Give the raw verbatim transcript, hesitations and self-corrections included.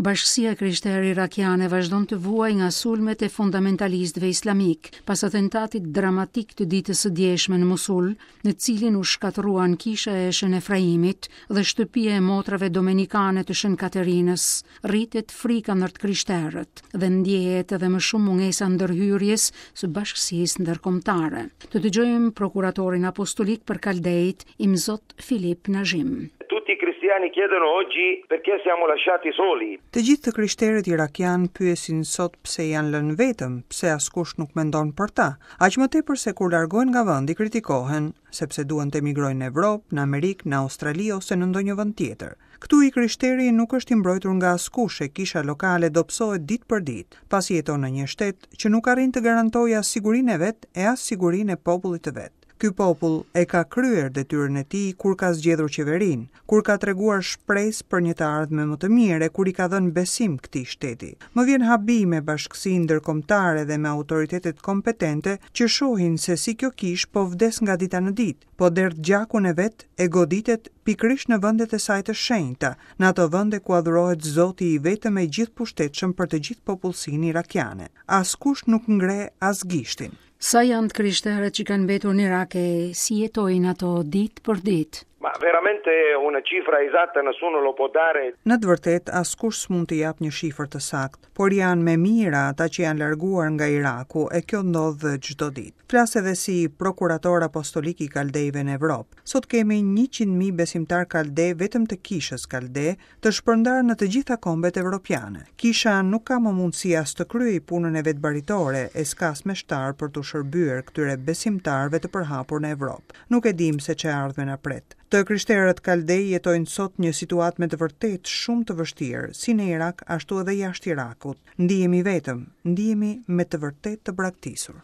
Bashkësia e krishterë irakiane vazhdon të vuajë nga sulmet e fundamentalistëve islamik pas atentatit dramatik të ditës së djeshme në Mosul, në cilin u shkatërruan kisha e Shën Efraimit dhe shtëpia e motrave domenikane të Shën Katerinës. Rritet frika ndër të krishterët dhe ndjehet edhe më shumë mungesa ndërhyrjes së bashkësisë ndërkombëtare. Të dëgjojmë prokuratorin apostolik për Kaldejt, Imzot Filip Najim. Tutti i cristiani chiedono oggi perché siamo lasciati soli. Të gjithë të krishterët irakian pyesin sot pse janë lënë vetëm, pse askush nuk mendon për ta. Aq më tepër se kur largohen nga vendi kritikohen, sepse duan të emigrojnë në Evropë, në Amerikë, në Australi ose në ndonjë vend tjetër. Këtu i krishteri nuk është i mbrojtur nga askush e kisha lokale dobësohet ditë për ditë, pasi jeton në një shtet që nuk arrin të garantojë as sigurinë e vet e as sigurinë e popullit të vet. Ky popull e ka kryer detyrën e tij kur ka zgjedhur qeverinë, kur ka treguar shpresë për një të ardhme më të mirë e kur i ka dhënë besim këtij shteti. Më vjen habi me bashkësinë ndërkombëtare dhe me autoritetet kompetente që shohin se si kjo kishë po vdes nga dita në ditë, po derdh gjakun e vet e goditet pikërisht në vendet e saj të shenjta, në ato vende ku adhurohet Zoti i vetëm e gjithëpushtetshëm për të gjithë popullsinë irakiane. Askush nuk ngre as gishtin. Sa janë të krishterët që kanë mbetur në Irak e si jetojnë ato ditë për ditë? Ma veramente una cifra esatta nessuno lo può dare. Në të vërtetë, askush s'mund të jap një shifër të saktë, por janë me mijëra ata që janë larguar nga Iraku e kjo ndodh çdo ditë. Flas edhe si prokurator apostolik i Kaldejve në Evropë. Sot kemi njëqind mijë besimtar kalde vetëm të kishës kalde, të shpërndarë në të gjitha kombet evropiane. Kisha nuk ka më mundësi as të kryejë punën e vet baritore e s'ka as meshtar për t'u shërbyer këtyre besimtarëve të përhapur në Evropë. Nuk e dim se ç'e ardhme na pret. Të krishterët kaldej jetojnë sot një situatë me të vërtetë shumë të vështirë, si në Irak ashtu edhe jashtë Irakut. Ndihemi vetëm, ndihemi me të vërtetë të braktisur.